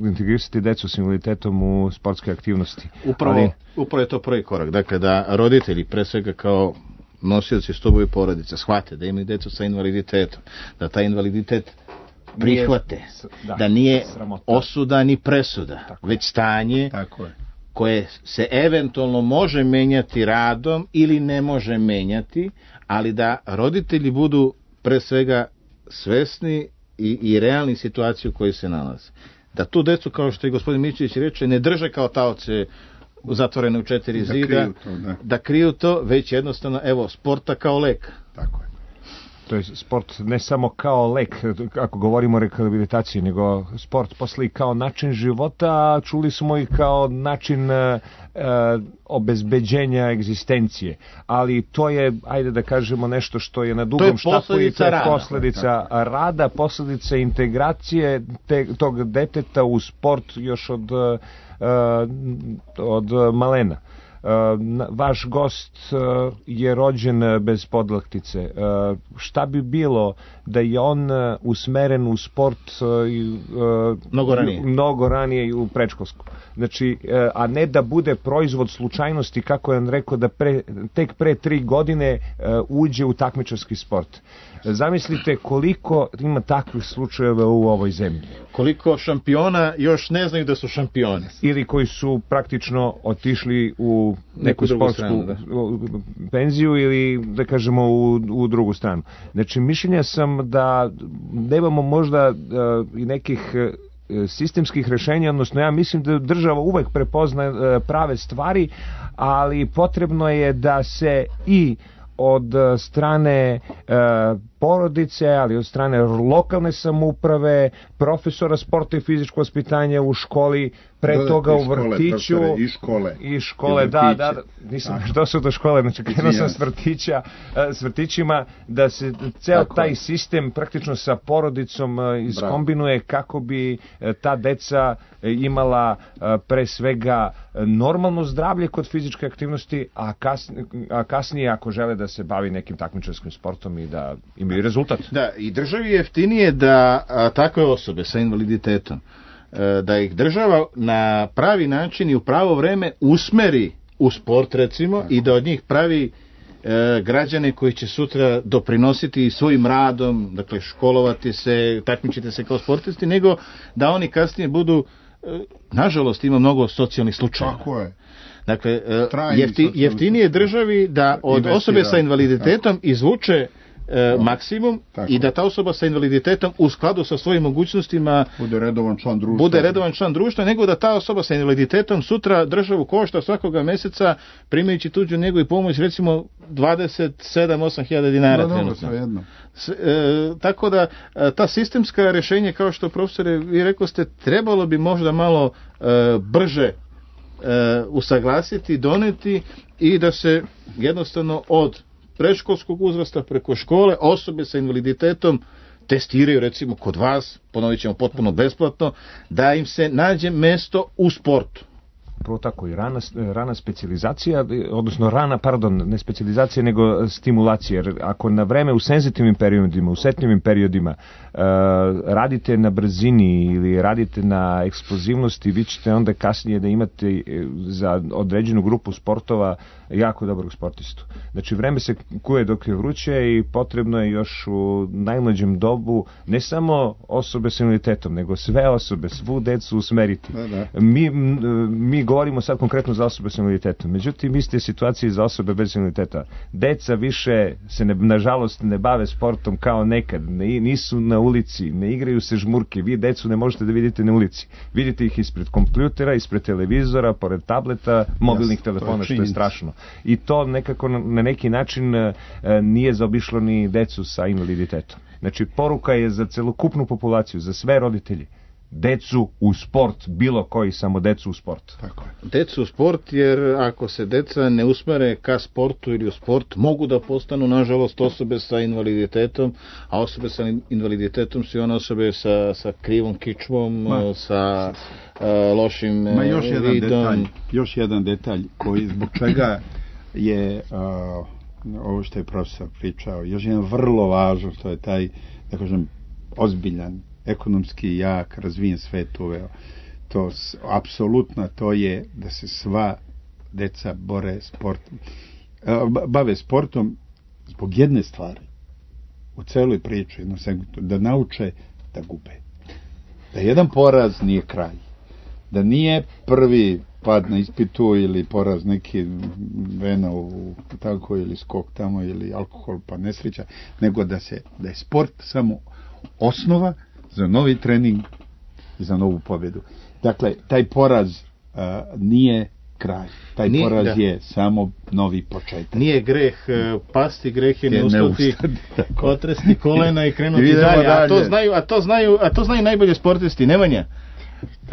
integrisati decu s invaliditetom u sportske aktivnosti. Upravo je to prvi korak. Dakle, da roditelji, pre svega kao nosioci stubovi porodice, shvate da imaju decu sa invaliditetom, da taj invaliditet prihvate, da nije osuda ni presuda, već stanje koje se eventualno može menjati radom ili ne može menjati, ali da roditelji budu pre svega svesni i realni situaciju u kojoj se nalaze. da tu decu, kao što je gospodin Mićević reče, ne drže kao taoce zatvorene u 4 zida, da kriju to, već jednostavno, evo, sporta kao lek. Tako je. To je sport ne samo kao lek, ako govorimo o rehabilitaciji, nego sport posle i kao način života, a čuli smo i kao način obezbeđenja egzistencije. Ali to je, ajde da kažemo, nešto što je na dugom štapu i to je posledica rada, posledica integracije tog deteta u sport još od malena. Vaš gost je rođen bez podlaktice. Šta bi bilo da je on usmeren u sport mnogo ranije i u predškolsku? Znači, a ne da bude proizvod slučajnosti, kako je on rekao, da tek pre 3 godine uđe u takmičarski sport. Zamislite koliko ima takvih slučajeva u ovoj zemlji. Koliko šampiona još ne znaju da su šampioni. Ili koji su praktično otišli u neku sportsku penziju ili, da kažemo, u drugu stranu. Znači, mišljenja sam da nemamo možda i nekih sistemskih rešenja, odnosno ja mislim da država uvek prepozna prave stvari, ali potrebno je da se i od strane porodice, ali od strane lokalne samouprave, profesora sporta i fizičkog vaspitanja u školi, pre toga u vrtiću i škole, da, nisam što su do škole, znači krenuo sam s vrtićima, da se ceo taj sistem praktično sa porodicom iskombinuje kako bi ta deca imala pre svega normalno zdravlje kod fizičke aktivnosti, a kasnije ako žele da se bavi nekim takmičarskim sportom i da imaju rezultat. Da, i državi je jeftinije da takve osobe sa invaliditetom, da ih država na pravi način i u pravo vreme usmeri u sport, recimo, i da od njih pravi građane koji će sutra doprinositi svojim radom, dakle školovati se, takmičiti se kao sportisti, nego da oni kasnije budu, nažalost ima mnogo socijalnih slučajeva. Tako je. Dakle, jeftinije državi da od osobe sa invaliditetom izvuče maksimum i da ta osoba sa invaliditetom u skladu sa svojim mogućnostima bude redovan član društva, nego da ta osoba sa invaliditetom sutra državu košta svakoga meseca primajući tuđu njegu i pomoć, recimo 27-8 dinara trenutno. Tako da ta sistemska rješenja, kao što profesore vi rekli ste, trebalo bi možda malo brže usaglasiti, doneti i da se jednostavno od predškolskog uzrasta preko škole osobe sa invaliditetom testiraju, recimo kod vas, ponovit ćemo potpuno besplatno, da im se nađe mesto u sportu. Prvo tako i rana specijalizacija, odnosno ne specijalizacija nego stimulacija, jer ako na vreme u senzitivnim periodima, u setljivim periodima radite na brzini ili radite na eksplozivnosti, vi ćete onda kasnije da imate za određenu grupu sportova jako dobrog sportistu. Znači vreme se kuje dok je vruće i potrebno je još u najmlađem dobu ne samo osobe s invaliditetom, nego sve osobe, svu decu usmeriti. Mi govorimo sad konkretno za osobe s invaliditetom, međutim iste situacije za osobe bez invaliditeta. Deca više se nažalost ne bave sportom kao nekad, nisu na ulici, ne igraju se žmurke, vi decu ne možete da vidite na ulici, vidite ih ispred kompjutera, ispred televizora, pored tableta, mobilnih telefona, što je strašno. I to nekako na neki način nije zaobišlo ni decu sa invaliditetom. Znači poruka je za celokupnu populaciju, za sve roditelji. Decu u sport, bilo koji, samo decu u sport. Tako je. Decu u sport, jer ako se deca ne usmere ka sportu ili u sport, mogu da postanu, nažalost, osobe sa invaliditetom, a osobe sa invaliditetom su i one osobe sa krivom kičmom, sa lošim vidom. Još jedan detalj koji zbog čega je ovo što je profesor pričao, još jedan vrlo važno, to je taj, da kažem, ozbiljan, ekonomski jak, razvijen svet uveo. To apsolutno to je da se sva deca bave sportom zbog jedne stvari u celoj priči, jednom segmentu, da nauče da gube. Da jedan poraz nije kraj. Da nije prvi pad na ispitu ili poraz neki vena tako ili skok tamo ili alkohol pa nesreća, nego da je sport samo osnova za novi trening za novu pobjedu. Dakle, taj poraz nije kraj. Taj poraz je samo novi početak. Nije greh pasti, greh je ne ustati, otresti kolena i krenuti dalje. A to znaju najbolje sportisti. Nemanja,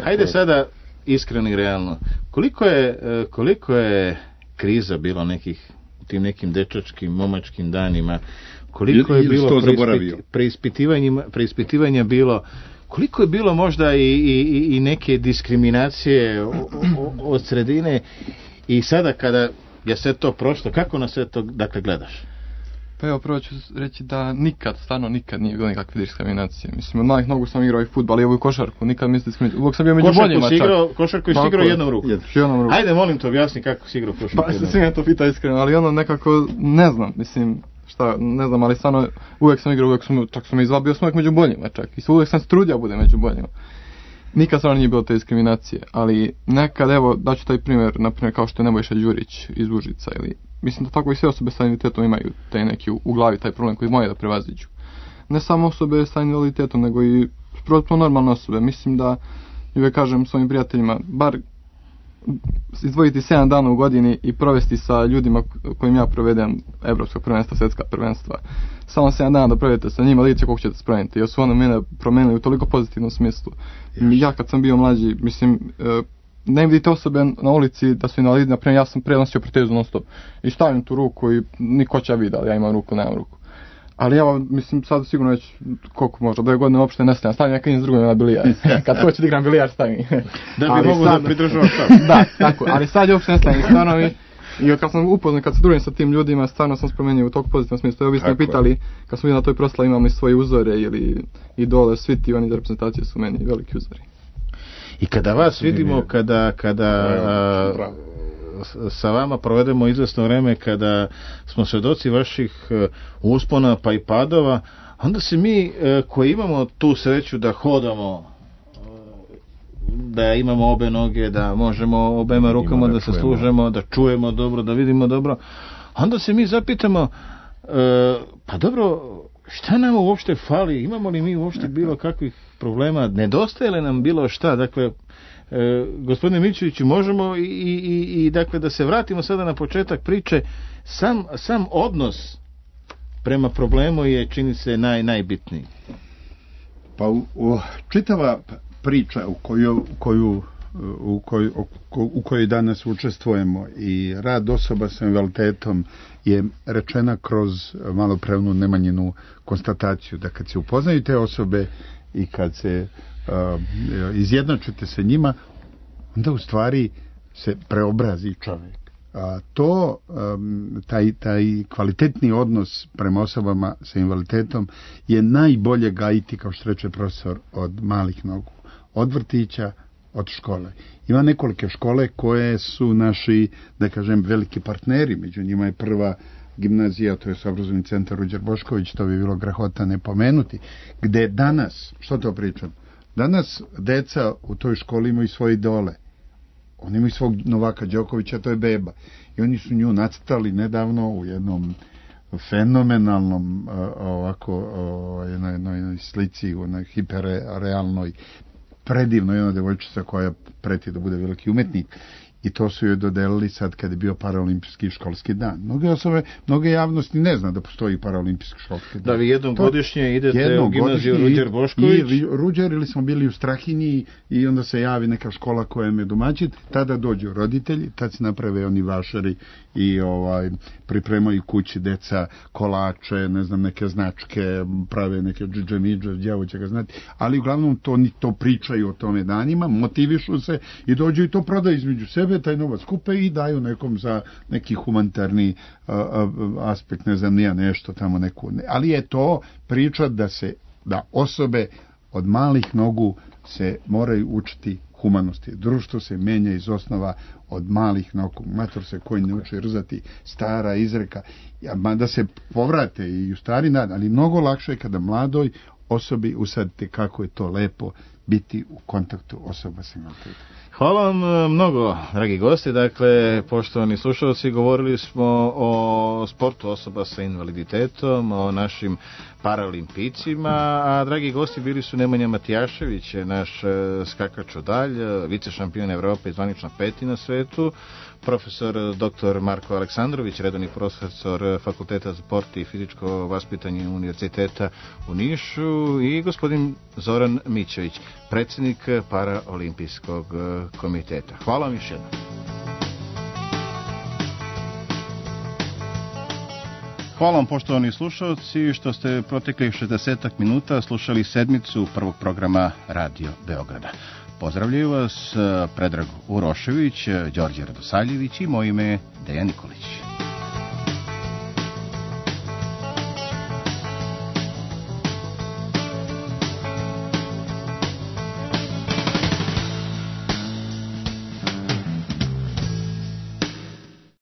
hajde sada iskreno i realno. Koliko je kriza bilo nekih u tim nekim dečačkim, momačkim danima? Koliko je bilo preispitivanja bilo? Koliko je bilo možda i neke diskriminacije od sredine i sada kada je sve to prošlo, kako na sve to dakle gledaš? Pa evo, prvo ću reći da stvarno nikad nije bilo nikakve diskriminacije. Mislim, od malih nogu sam igrao i fudbal i ovu košarku, nikad mi se diskriminacije. Uvijek sam bio među boljima čak. Košarku si igrao jednom ruku. Ajde, molim te, objasni kako si igrao košarku. Pa se svima to pita iskreno, ali ono nekako, ne znam, mislim, ne znam, ali stvarno uvijek sam igrao, čak sam izvabio, sam uvijek među boljima čak. I uvijek sam se trudio bude među boljima. Nikad stvarno nije bilo te diskriminacije, ali nekad, evo, daću taj primjer, naprimjer kao što je Nebojša Đurić iz Užica, ili mislim da tako i sve osobe sa invaliditetom imaju taj neki u glavi, taj problem koji moraju da prevaziđu. Ne samo osobe sa invaliditetom, nego i protpuno normalne osobe. Mislim da, uvijek kažem svojim prijateljima, bar izdvojiti 7 dana u godini i provesti sa ljudima kojim ja provedem evropska prvenstva, svjetska prvenstva. Samo 7 dana da provedete sa njima, vidite koliko ćete spromeniti. Jer su ono mene promenili u toliko pozitivnom smislu. Ja kad sam bio mlađi, mislim, ne vidite osobe na ulici da su invalidi, naprimjer ja sam prenosio protezu non stop i stavim tu ruku i niko će vidi, ali ja imam ruku, nemam ruku. Ali evo, mislim, sad sigurno već koliko možda, 2 godine uopšte ne stavim neka s drugim na bilijar. Kad hoće da igram bilijar stavim. Da bi mogu da pridržavaš stav. Da, tako, ali sad je uopšte ne stavim. Stvarno mi, i kad sam upoznat, kad se družim sa tim ljudima, stvarno sam spromenio u toliko pozitivnom smislu. Evo, vi ste me pitali, kad smo bili na toj proslavi, imamo i svoje uzore ili idole, svi ti oni za reprezentacije su meni veliki uzori. I kada vas vidimo, kada sa vama provedemo izvesno vreme, kada smo svedoci vaših uspona pa i padova, onda se mi koji imamo tu sreću da hodamo, da imamo obe noge, da možemo obema rukama da se služemo, da čujemo dobro, da vidimo dobro, onda se mi zapitamo, pa dobro, šta nam uopšte fali, imamo li mi uopšte bilo kakvih problema, nedostaje li nam bilo šta, dakle, gospodine Mićeviću, možemo i dakle da se vratimo sada na početak priče, sam odnos prema problemu je, čini se, najbitniji. Pa čitava priča u kojoj danas učestvujemo i rad osoba sa invaliditetom je rečena kroz maloprevnu Nemanjinu konstataciju, da kad se upoznaju te osobe i kad se izjednačite sa njima, onda u stvari se preobrazi čovjek. Taj kvalitetni odnos prema osobama sa invaliditetom je najbolje gajiti, kao što reče profesor, od malih nogu, od vrtića, od škole. Ima nekolike škole koje su naši, da kažem, veliki partneri, među njima je prva gimnazija, to je obrazovni centar Ruđer Bošković, to bi bilo grahota ne pomenuti, gde danas, što to pričam, danas deca u toj školi imaju svoje idole. Oni imaju svog Novaka Đokovića, to je beba. I oni su nju nacrtali nedavno u jednom fenomenalnom jednoj slici, u jednoj hiperrealnoj, predivnoj jedna devojčica koja preti da bude veliki umetnik. I to su joj dodelili sad kad je bio paraolimpijski školski dan. Mnoge javnosti ne zna da postoji paraolimpijski školski dan. Da vi jednom godišnje idete u gimnaziju Ruđer Bošković? I Ruđer, ili smo bili u Strahinji i onda se javi neka škola koja je domaćin, tada dođu roditelji, tad se naprave oni vašari i pripremaju kući deca kolače, ne znam, neke značke, prave neke džidžemidže, djavo će ga znati, ali uglavnom to pričaju o tome danima, motivišu se i dođu i to prodaju između sebe, taj novac kupe i daju nekom za neki humanitarni aspekt, ne znam, nije nešto tamo neku. Ali je to priča da osobe od malih nogu se moraju učiti humanosti. Društvo se menja iz osnova od malih nogu. Mator se koji ne uči rzati, stara izreka. Da se povrate i u stari dan, ali mnogo lakše je kada mladoj osobi usadite kako je to lepo biti u kontaktu osoba sa invaliditetom. Hvala vam mnogo, dragi gosti. Dakle, poštovani slušalci, govorili smo o sportu osoba sa invaliditetom, o našim paralimpijcima, a dragi gosti bili su Nemanja Matijašević, naš skakač odalj, vice šampion Evrope i zvanična peti na svetu, profesor dr. Marko Aleksandrović, redovni profesor Fakulteta za sport i fizičko vaspitanje Univerziteta u Nišu, i gospodin Zoran Mićević, predsjednik Paraolimpijskog komiteta. Hvala vam još jednom. Hvala vam, poštovani slušalci, što ste proteklih 60 minuta slušali sedmicu prvog programa Radio Beograda. Pozdravljaju vas Predrag Urošević, Đorđe Radosavljević i moje ime Dejan Nikolić.